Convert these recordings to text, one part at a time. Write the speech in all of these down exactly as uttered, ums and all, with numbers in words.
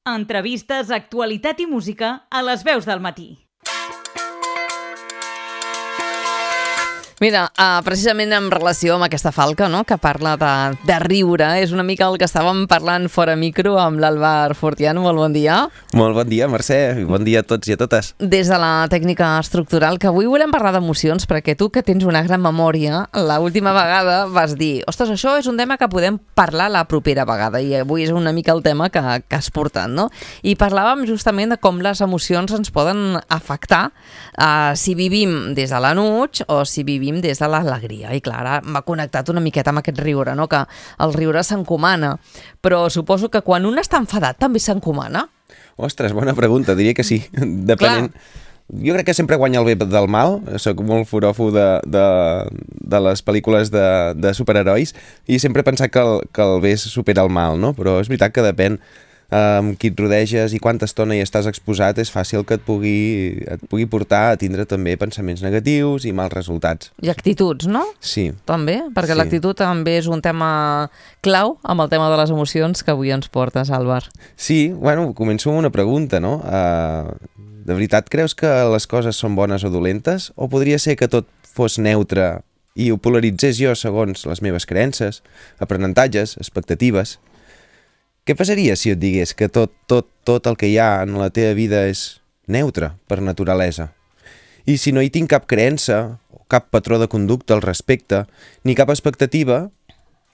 Entrevistes, actualitat i música a les veus del matí. Mira, uh, precisament en relació amb aquesta falca, no?, que parla de, de riure, és una mica el que estàvem parlant fora micro amb l'Àlvar Fortiano. Molt bon dia. Molt bon dia, Mercè, i bon dia a tots i a totes. Des de la tècnica estructural, que avui volem parlar d'emocions, perquè tu, que tens una gran memòria, l'última vegada vas dir, ostres, això és un tema que podem parlar la propera vegada, i avui és una mica el tema que, que has portat, no? I parlàvem justament de com les emocions ens poden afectar uh, si vivim des de l'enuig o si vivim des de l'alegria. I clar, ara m'ha connectat una miqueta amb aquest riure, no?, que el riure s'encomana, però suposo que quan un està enfadat també s'encomana. Ostres, bona pregunta, diria que sí, depenent. Clar. Jo crec que sempre guanya el bé del mal, soc molt foròfo de, de, de les pel·lícules de, de superherois i sempre he pensat que el, que el bé supera el mal, no? Però és veritat que depèn amb qui et rodeges i quanta estona hi estàs exposat, és fàcil que et pugui, et pugui portar a tindre també pensaments negatius i mals resultats. I actituds, no? Sí. També, perquè sí. L'actitud també és un tema clau amb el tema de les emocions que avui ens portes, Àlvar. Sí, bueno, començo amb una pregunta, no? Uh, de veritat creus que les coses són bones o dolentes? O podria ser que tot fos neutre i ho polaritzés jo segons les meves creences, aprenentatges, expectatives? Què passaria si et digués que tot, tot, tot el que hi ha en la teva vida és neutre per naturalesa? I si no hi tinc cap creença, o cap patró de conducta al respecte, ni cap expectativa,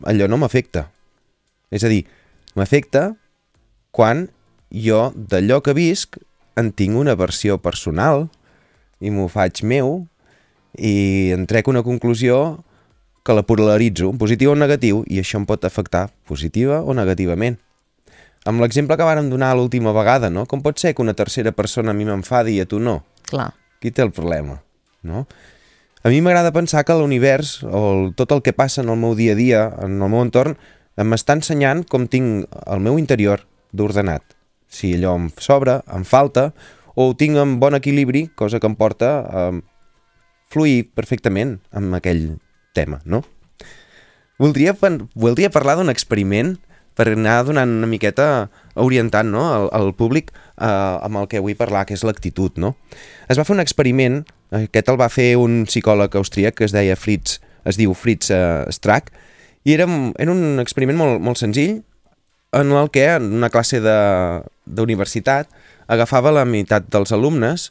allò no m'afecta. És a dir, m'afecta quan jo d'allò que visc en tinc una versió personal i m'ho faig meu i en trec una conclusió que la polaritzo, positiu o negatiu, i això em pot afectar positiva o negativament. Amb l'exemple que vàrem donar l'última vegada, no? Com pot ser que una tercera persona a mi m'enfadi i a tu no? Clar. Qui té el problema, no? A mi m'agrada pensar que l'univers, o el, tot el que passa en el meu dia a dia, en el meu entorn, m'està ensenyant com tinc el meu interior d'ordenat. Si allò em sobra, em falta, o ho tinc en bon equilibri, cosa que em porta a fluir perfectament amb aquell tema, no? Voldria, voldria parlar d'un experiment per anar donant una miqueta orientant, no?, al, al públic eh, amb el que vull parlar, que és l'actitud, no? Es va fer un experiment, aquest el va fer un psicòleg austríac que es deia Fritz, es diu Fritz eh, Strack, i era, era un experiment molt, molt senzill en el que en una classe d'universitat agafava la meitat dels alumnes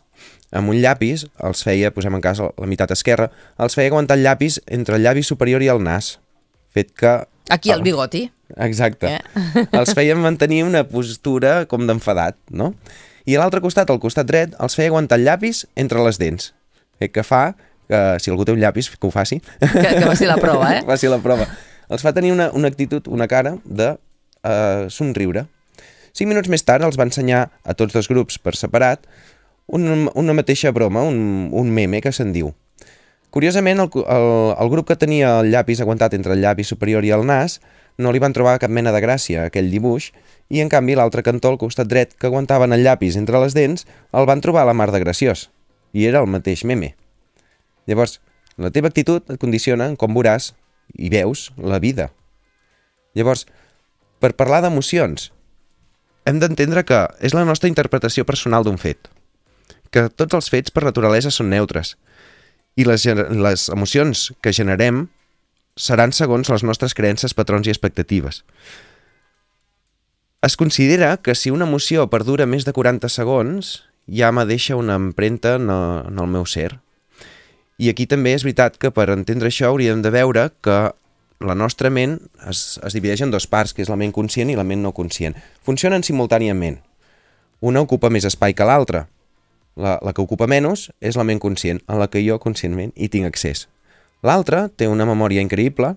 amb un llapis, els feia, posem en cas la meitat esquerra, els feia aguantar el llapis entre el llavi superior i el nas, fet que... Aquí el bigoti. Exacte. Eh? Els feien mantenir una postura com d'enfadat, no? I a l'altre costat, al costat dret, els feia aguantar el llapis entre les dents. Fet que fa, que si algú té un llapis, que ho faci. Que, que faci la prova, eh? Que faci la prova. Els fa tenir una, una actitud, una cara de uh, somriure. Cinc minuts més tard els va ensenyar a tots dos grups per separat una, una mateixa broma, un, un meme que se'n diu. Curiosament, el, el, el grup que tenia el llapis aguantat entre el llavi superior i el nas no li van trobar cap mena de gràcia a aquell dibuix i, en canvi, l'altre cantó, al costat dret, que aguantaven el llapis entre les dents, el van trobar a la mar de graciós. I era el mateix meme. Llavors, la teva actitud et condiciona en com veuràs i veus la vida. Llavors, per parlar d'emocions, hem d'entendre que és la nostra interpretació personal d'un fet, que tots els fets per naturalesa són neutres, i les, les emocions que generem seran segons les nostres creences, patrons i expectatives. Es considera que si una emoció perdura més de quaranta segons, ja me deixa una empremta en el, en el meu ser. I aquí també és veritat que per entendre això hauríem de veure que la nostra ment es, es divideix en dues parts, que és la ment conscient i la ment no conscient. Funcionen simultàniament. Una ocupa més espai que l'altra. La, la que ocupa menys és la ment conscient, a la que jo conscientment hi tinc accés. L'altra té una memòria increïble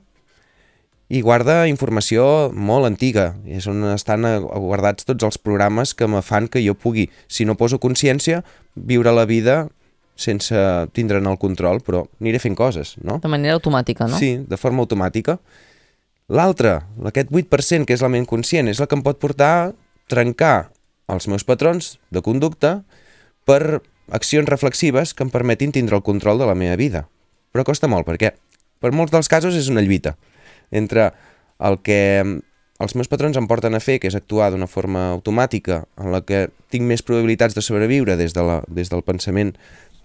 i guarda informació molt antiga. És on estan guardats tots els programes que me fan que jo pugui, si no poso consciència, viure la vida sense tindre'n el control, però aniré fent coses, no? De manera automàtica, no? Sí, de forma automàtica. L'altra, aquest vuit per cent, que és la ment conscient, és la que em pot portar a trencar els meus patrons de conducta per accions reflexives que em permetin tindre el control de la meva vida. Però costa molt, perquè per molts dels casos és una lluita entre el que els meus patrons em porten a fer, que és actuar d'una forma automàtica, en la que tinc més probabilitats de sobreviure des, de la, des del pensament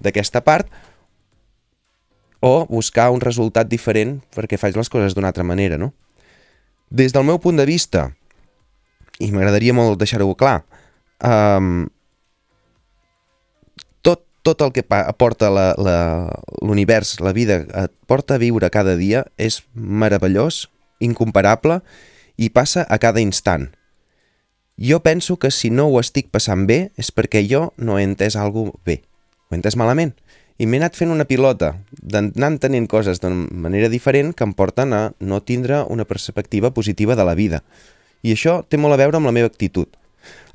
d'aquesta part, o buscar un resultat diferent perquè faig les coses d'una altra manera, no? Des del meu punt de vista, i m'agradaria molt deixar-ho clar, um, tot, tot el que aporta la, la, l'univers, la vida, et porta a viure cada dia, és meravellós, incomparable, i passa a cada instant. Jo penso que si no ho estic passant bé és perquè jo no he entès alguna cosa bé, ho he entès malament. I m'he anat fent una pilota d'anar entenent coses d'una manera diferent que em porten a no tindre una perspectiva positiva de la vida. I això té molt a veure amb la meva actitud.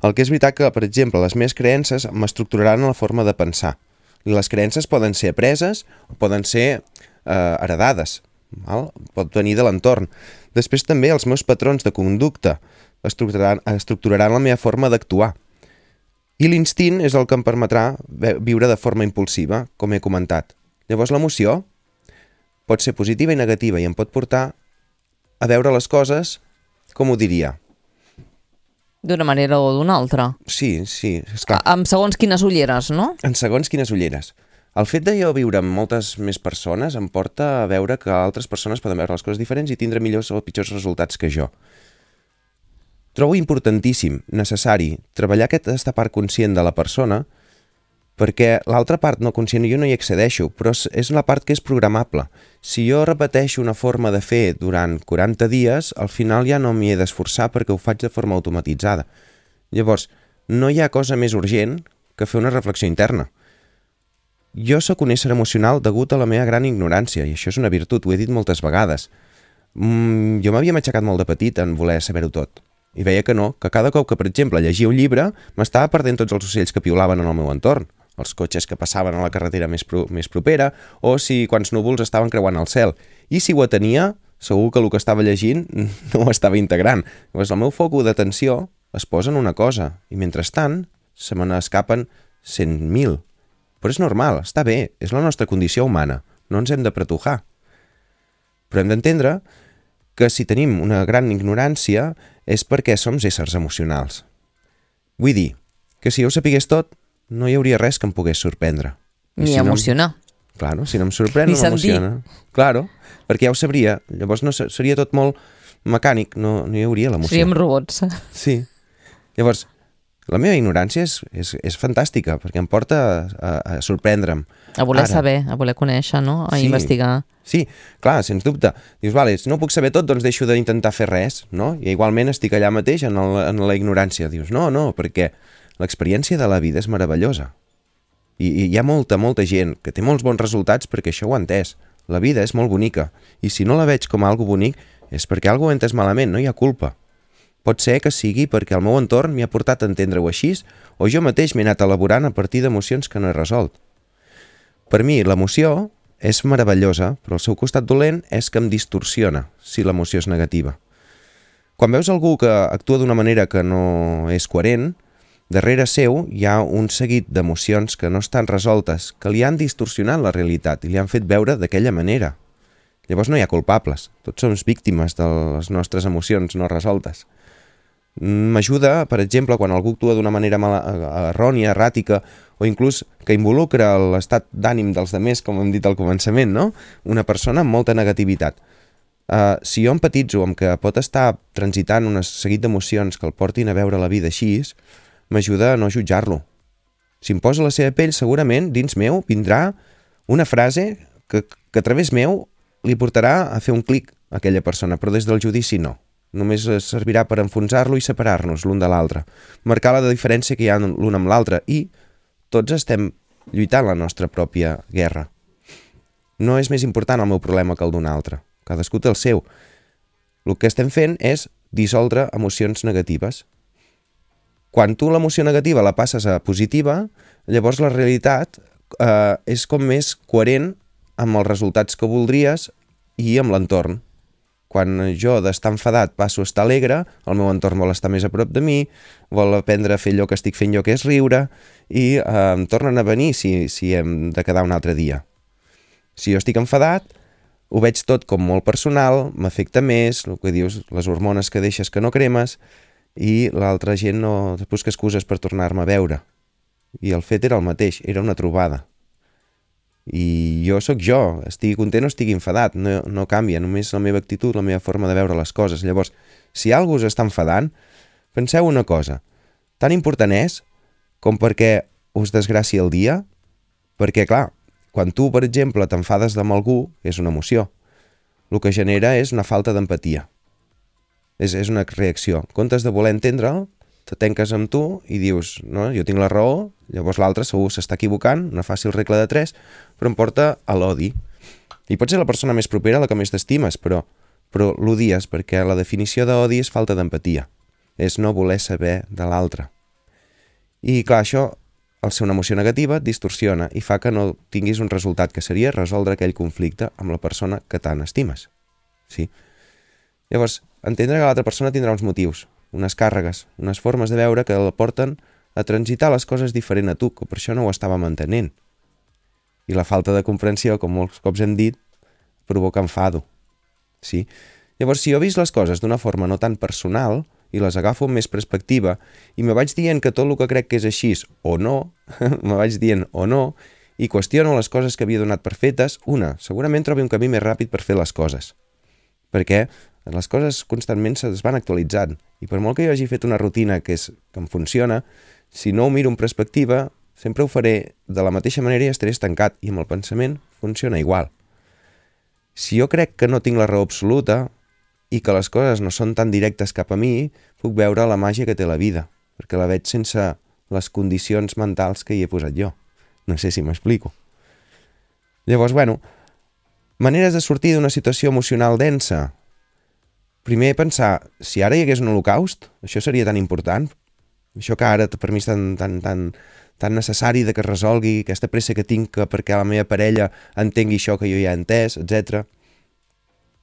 El que és veritat que, per exemple, les meves creences m'estructuraran en la forma de pensar. I les creences poden ser apreses o poden ser eh, heredades. Val? Pot venir de l'entorn. Després també els meus patrons de conducta estructuraran, estructuraran la meva forma d'actuar. I l'instint és el que em permetrà viure de forma impulsiva, com he comentat. Llavors l'emoció pot ser positiva i negativa i em pot portar a veure les coses, com ho diria? D'una manera o d'una altra. Sí, sí, esclar. Amb segons quines ulleres, no? En segons quines ulleres. El fet de jo viure amb moltes més persones em porta a veure que altres persones poden veure les coses diferents i tindre millors o pitjors resultats que jo. Trobo importantíssim, necessari, treballar aquesta part conscient de la persona perquè l'altra part no conscient jo no hi accedeixo, però és la part que és programable. Si jo repeteixo una forma de fer durant quaranta dies, al final ja no m'hi he d'esforçar perquè ho faig de forma automatitzada. Llavors, no hi ha cosa més urgent que fer una reflexió interna. Jo sóc un ésser emocional degut a la meva gran ignorància, i això és una virtut, ho he dit moltes vegades. Mm, jo m'havia matxacat molt de petit en voler saber-ho tot. I veia que no, que cada cop que, per exemple, llegia un llibre, m'estava perdent tots els ocells que piulaven en el meu entorn, els cotxes que passaven a la carretera més, pro més propera, o si quants núvols estaven creuant el cel. I si ho atenia, segur que el que estava llegint no ho estava integrant. Llavors, el meu focus d'atenció es posa en una cosa, i mentrestant se me n'escapen cent mil. Però és normal, està bé, és la nostra condició humana, no ens hem de pretujar. Però hem d'entendre que si tenim una gran ignorància és perquè som éssers emocionals. Vull dir que si jo ho sapigués tot, no hi hauria res que em pogués sorprendre. Ni si emocionar. No, claro, si no em sorprèn, Ni no m'emociona. Claro, perquè ja ho sabria. Llavors no seria tot molt mecànic, no, no hi hauria l'emoció. Seríem robots. Sí. Llavors, la meva ignorància és, és, és fantàstica, perquè em porta a, a sorprendre'm. A voler Ara, saber, a voler conèixer, no? A sí, investigar. Sí, clar, sens dubte. Dius, vale, si no puc saber tot, doncs deixo d'intentar fer res, no? I igualment estic allà mateix en, el, en la ignorància. Dius, no, no, perquè l'experiència de la vida és meravellosa. I, I hi ha molta, molta gent que té molts bons resultats perquè això ho ha entès. La vida és molt bonica. I si no la veig com algo bonic, és perquè algo ho he entès malament, no hi ha culpa. Pot ser que sigui perquè el meu entorn m'hi ha portat a entendre-ho així, o jo mateix m'he anat elaborant a partir d'emocions que no he resolt. Per mi, l'emoció és meravellosa, però el seu costat dolent és que em distorsiona, si l'emoció és negativa. Quan veus algú que actua d'una manera que no és coherent, darrere seu hi ha un seguit d'emocions que no estan resoltes, que li han distorsionat la realitat i li han fet veure d'aquella manera. Llavors no hi ha culpables, tots som víctimes de les nostres emocions no resoltes. M'ajuda, per exemple, quan algú actua d'una manera mala, errònia, erràtica, o inclús que involucra l'estat d'ànim dels demés, com hem dit al començament, no? Una persona amb molta negativitat. Uh, si jo empatitzo amb que pot estar transitant un seguit d'emocions que el portin a veure la vida així, m'ajuda a no jutjar-lo. Si em posa la seva pell, segurament, dins meu, vindrà una frase que, que a través meu li portarà a fer un clic a aquella persona, però des del judici no. Només servirà per enfonsar-lo i separar-nos l'un de l'altre, marcar la diferència que hi ha l'un amb l'altre i tots estem lluitant la nostra pròpia guerra. No és més important el meu problema que el d'un altre, cadascú té el seu. El que estem fent és dissoldre emocions negatives. Quan tu l'emoció negativa la passes a positiva, llavors la realitat eh, és com més coherent amb els resultats que voldries i amb l'entorn. Quan jo d'estar enfadat passo a estar alegre, el meu entorn vol estar més a prop de mi, vol aprendre a fer allò que estic fent jo, que és riure, i eh, em tornen a venir si, si hem de quedar un altre dia. Si jo estic enfadat, ho veig tot com molt personal, m'afecta més, el que dius, les hormones que deixes que no cremes, i l'altra gent no es busca excuses per tornar-me a veure. I el fet era el mateix, era una trobada. I jo sóc jo, estigui content o estigui enfadat, no, no canvia, només la meva actitud, la meva forma de veure les coses. Llavors, si algú us està enfadant, penseu una cosa, tan important és com perquè us desgràcia el dia, perquè, clar, quan tu, per exemple, t'enfades amb algú, és una emoció, el que genera és una falta d'empatia. És, és una reacció. En comptes de voler entendre'l, te tanques amb tu i dius, no, jo tinc la raó, llavors l'altre segur s'està equivocant, una fàcil regla de tres, però em porta a l'odi. I pot ser la persona més propera la que més t'estimes, però, però l'odies perquè la definició d'odi és falta d'empatia. És no voler saber de l'altre. I clar, això, al ser una emoció negativa, et distorsiona i fa que no tinguis un resultat que seria resoldre aquell conflicte amb la persona que tant estimes. Sí? Llavors, entendre que l'altra persona tindrà uns motius, unes càrregues, unes formes de veure que la porten a transitar les coses diferent a tu, que per això no ho estava mantenint. I la falta de comprensió, com molts cops hem dit, provoca enfado. Sí? Llavors, si jo he vist les coses d'una forma no tan personal i les agafo amb més perspectiva i me vaig dient que tot el que crec que és així o no, me vaig dient o no, i qüestiono les coses que havia donat per fetes, una, segurament trobi un camí més ràpid per fer les coses. Perquè les coses constantment es van actualitzant i per molt que jo hagi fet una rutina que, és, que em funciona, si no ho miro en perspectiva, sempre ho faré de la mateixa manera i estaré estancat i amb el pensament funciona igual. Si jo crec que no tinc la raó absoluta i que les coses no són tan directes cap a mi, puc veure la màgia que té la vida, perquè la veig sense les condicions mentals que hi he posat jo. No sé si m'explico. Llavors, bueno, maneres de sortir d'una situació emocional densa. Primer pensar, si ara hi hagués un holocaust, això seria tan important? Això que ara per mi és tan, tan, tan, tan necessari de que es resolgui, aquesta pressa que tinc que perquè la meva parella entengui això que jo ja he entès, etcètera.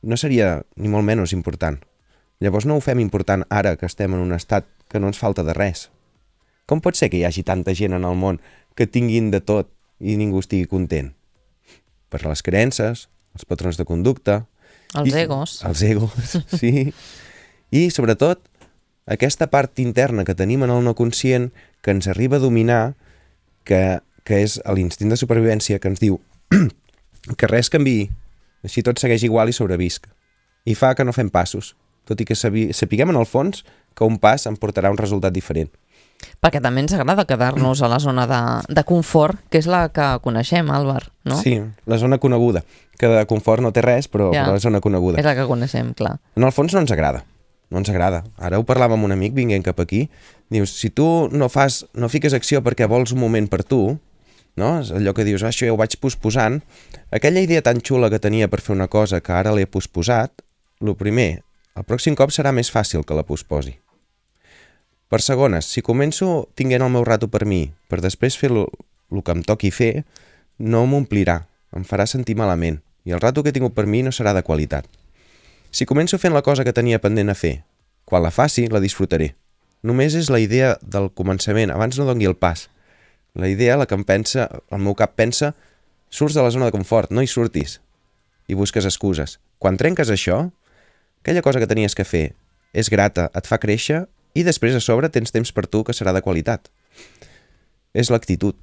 No seria ni molt menys important. Llavors no ho fem important ara que estem en un estat que no ens falta de res. Com pot ser que hi hagi tanta gent en el món que tinguin de tot i ningú estigui content? Per les creences, els patrons de conducta... Els i, egos. Els egos, sí. I, sobretot, aquesta part interna que tenim en el no conscient que ens arriba a dominar, que, que és l'instint de supervivència que ens diu que res canviï, així tot segueix igual i sobrevisc. I fa que no fem passos, tot i que sapiguem en el fons que un pas em portarà un resultat diferent. Perquè també ens agrada quedar-nos a la zona de, de confort, que és la que coneixem, Àlvar, no? Sí, la zona coneguda, que de confort no té res, però, ja, però la zona coneguda. És la que coneixem, clar. En el fons no ens agrada, no ens agrada. Ara ho parlàvem amb un amic vinguent cap aquí, dius, si tu no fas, no fiques acció perquè vols un moment per tu, no? És allò que dius, ah, això ja ho vaig posposant, aquella idea tan xula que tenia per fer una cosa que ara l'he posposat, el primer, el pròxim cop serà més fàcil que la posposi. Per segones, si començo tinguent el meu rato per mi, per després fer el que em toqui fer, no m'omplirà, em farà sentir malament, i el rato que he tingut per mi no serà de qualitat. Si començo fent la cosa que tenia pendent a fer, quan la faci, la disfrutaré. Només és la idea del començament, abans no doni el pas. La idea, la que em pensa, el meu cap pensa, surts de la zona de confort, no hi surtis, i busques excuses. Quan trenques això, aquella cosa que tenies que fer és grata, et fa créixer, i després a sobre tens temps per tu que serà de qualitat. És l'actitud.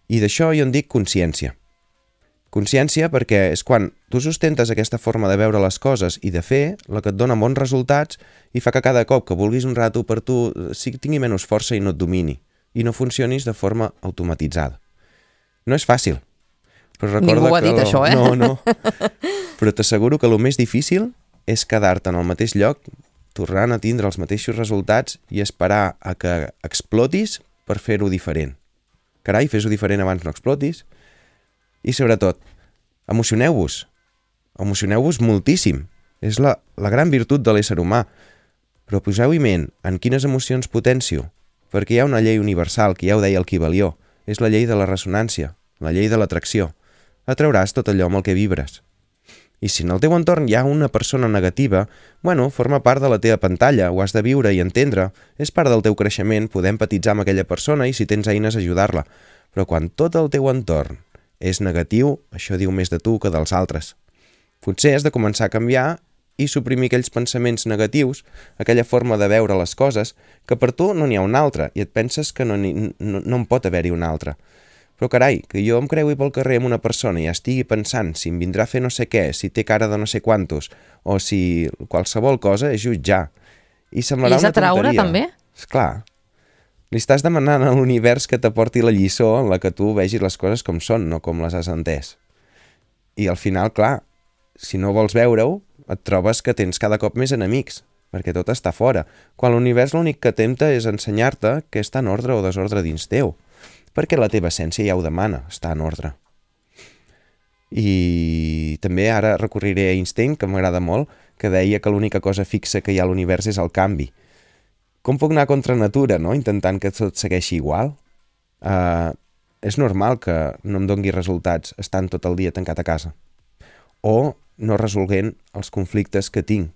I d'això jo en dic consciència. Consciència perquè és quan tu sustentes aquesta forma de veure les coses i de fer la que et dona bons resultats i fa que cada cop que vulguis un rato per tu sí, tingui menys força i no et domini i no funcionis de forma automatitzada. No és fàcil. Però recorda Ningú ho ha que dit, lo... això, eh? No, no. Però t'asseguro que el més difícil és quedar-te en el mateix lloc tornant a tindre els mateixos resultats i esperar a que explotis per fer-ho diferent. Carai, fes-ho diferent abans no explotis. I sobretot, emocioneu-vos. Emocioneu-vos moltíssim. És la, la gran virtut de l'ésser humà. Però poseu-hi ment en quines emocions potencio, perquè hi ha una llei universal, que ja ho deia el Kybalió. És la llei de la ressonància, la llei de l'atracció. Atrauràs tot allò amb el que vibres. I si en el teu entorn hi ha una persona negativa, bueno, forma part de la teva pantalla, ho has de viure i entendre, és part del teu creixement poder empatitzar amb aquella persona i si tens eines ajudar-la. Però quan tot el teu entorn és negatiu, això diu més de tu que dels altres. Potser has de començar a canviar i suprimir aquells pensaments negatius, aquella forma de veure les coses, que per tu no n'hi ha una altra i et penses que no, no, no en pot haver-hi una altra. Però carai, que jo em creui pel carrer amb una persona i estigui pensant si em vindrà a fer no sé què, si té cara de no sé quantos, o si qualsevol cosa és jutjar. I semblarà una tonteria. I és atraure, també? Esclar. Li estàs demanant a l'univers que t'aporti la lliçó en la que tu vegis les coses com són, no com les has entès. I al final, clar, si no vols veure-ho, et trobes que tens cada cop més enemics, perquè tot està fora, quan l'univers l'únic que tempta és ensenyar-te què està en ordre o desordre dins teu, perquè la teva essència ja ho demana, està en ordre. I també ara recorriré a Einstein, que m'agrada molt, que deia que l'única cosa fixa que hi ha a l'univers és el canvi. Com puc anar contra natura, no?, intentant que tot segueixi igual? Uh, és normal que no em dongui resultats estant tot el dia tancat a casa. O no resolguent els conflictes que tinc.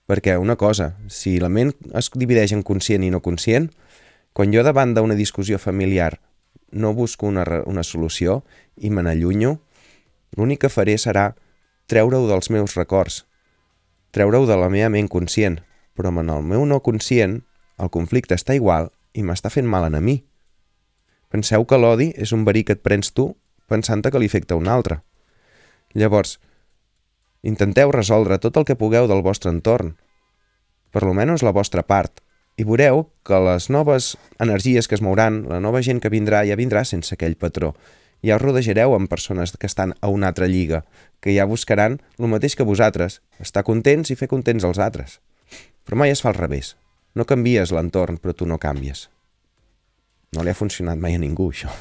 Perquè una cosa, si la ment es divideix en conscient i no conscient, quan jo davant d'una discussió familiar no busco una, una solució i me n'allunyo, l'únic que faré serà treure-ho dels meus records, treure-ho de la meva ment conscient, però en el meu no conscient el conflicte està igual i m'està fent mal a mi. Penseu que l'odi és un verí que et prens tu pensant-te que li afecta un altre. Llavors, intenteu resoldre tot el que pugueu del vostre entorn, per lo menys la vostra part, i veureu que les noves energies que es mouran, la nova gent que vindrà, ja vindrà sense aquell patró. Ja us rodejareu amb persones que estan a una altra lliga, que ja buscaran el mateix que vosaltres, estar contents i fer contents els altres. Però mai es fa al revés. No canvies l'entorn, però tu no canvies. No li ha funcionat mai a ningú, això.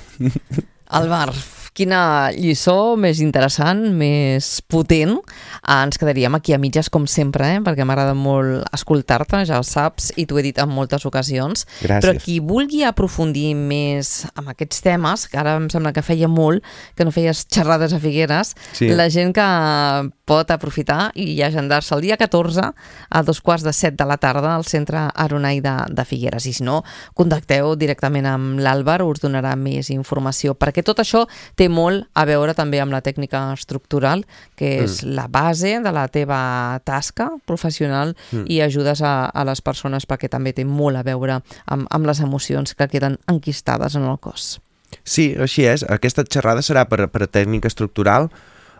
Álvar, quina lliçó més interessant, més potent. Ah, ens quedaríem aquí a mitges, com sempre, eh? Perquè m'agrada molt escoltar-te, ja ho saps, i t'ho he dit en moltes ocasions. Gràcies. Però qui vulgui aprofundir més en aquests temes, que ara em sembla que feia molt que no feies xerrades a Figueres, sí. La gent que pot aprofitar i agendar-se el dia catorze a dos quarts de set de la tarda al Centre Aronai de, de Figueres. I si no, contacteu directament amb l'Àlvar, us donarà més informació, perquè tot això té molt a veure també amb la tècnica estructural, que és mm. la base de la teva tasca professional mm. i ajudes a, a les persones perquè també té molt a veure amb, amb les emocions que queden enquistades en el cos. Sí, així és. Aquesta xerrada serà per, per tècnica estructural.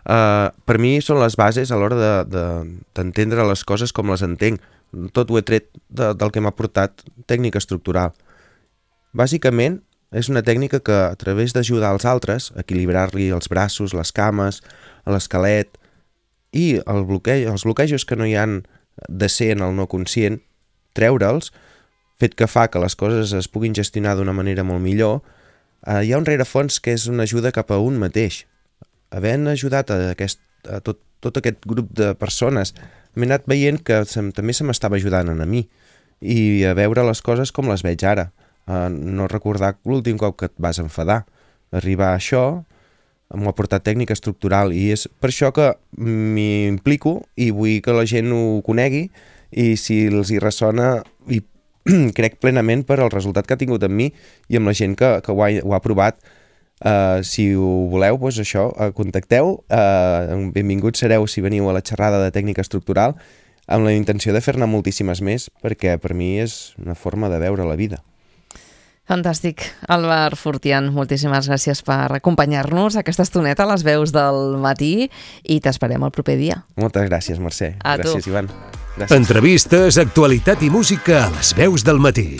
Uh, per mi són les bases a l'hora d'entendre de, de, les coses com les entenc. Tot ho he tret de, del que m'ha portat tècnica estructural. Bàsicament, és una tècnica que, a través d'ajudar als altres, equilibrar-li els braços, les cames, l'esquelet i el bloqueig, els bloquejos que no hi han de ser en el no conscient, treure'ls, fet que fa que les coses es puguin gestionar d'una manera molt millor, eh, hi ha un rerefons que és una ajuda cap a un mateix. Havent ajudat a, aquest, a tot, tot aquest grup de persones, m'he anat veient que se, també se m'estava ajudant a mi i a veure les coses com les veig ara. Uh, no recordar l'últim cop que et vas enfadar. Arribar a això m'ho ha portat tècnica estructural i és per això que m'hi implico i vull que la gent ho conegui i si els hi ressona i crec plenament per el resultat que ha tingut amb mi i amb la gent que, que ho, ha, ho ha provat. Uh, si ho voleu, doncs això, uh, contacteu, uh, benvinguts sereu si veniu a la xerrada de tècnica estructural amb la intenció de fer-ne moltíssimes més perquè per mi és una forma de veure la vida. Fantàstic. Álvar Fortián, moltíssimes gràcies per acompanyar-nos aquesta estoneta a les veus del matí i t'esperem el proper dia. Moltes gràcies, Mercè. A gràcies, tu. Ivan. Gràcies. Entrevistes, actualitat i música a les veus del matí.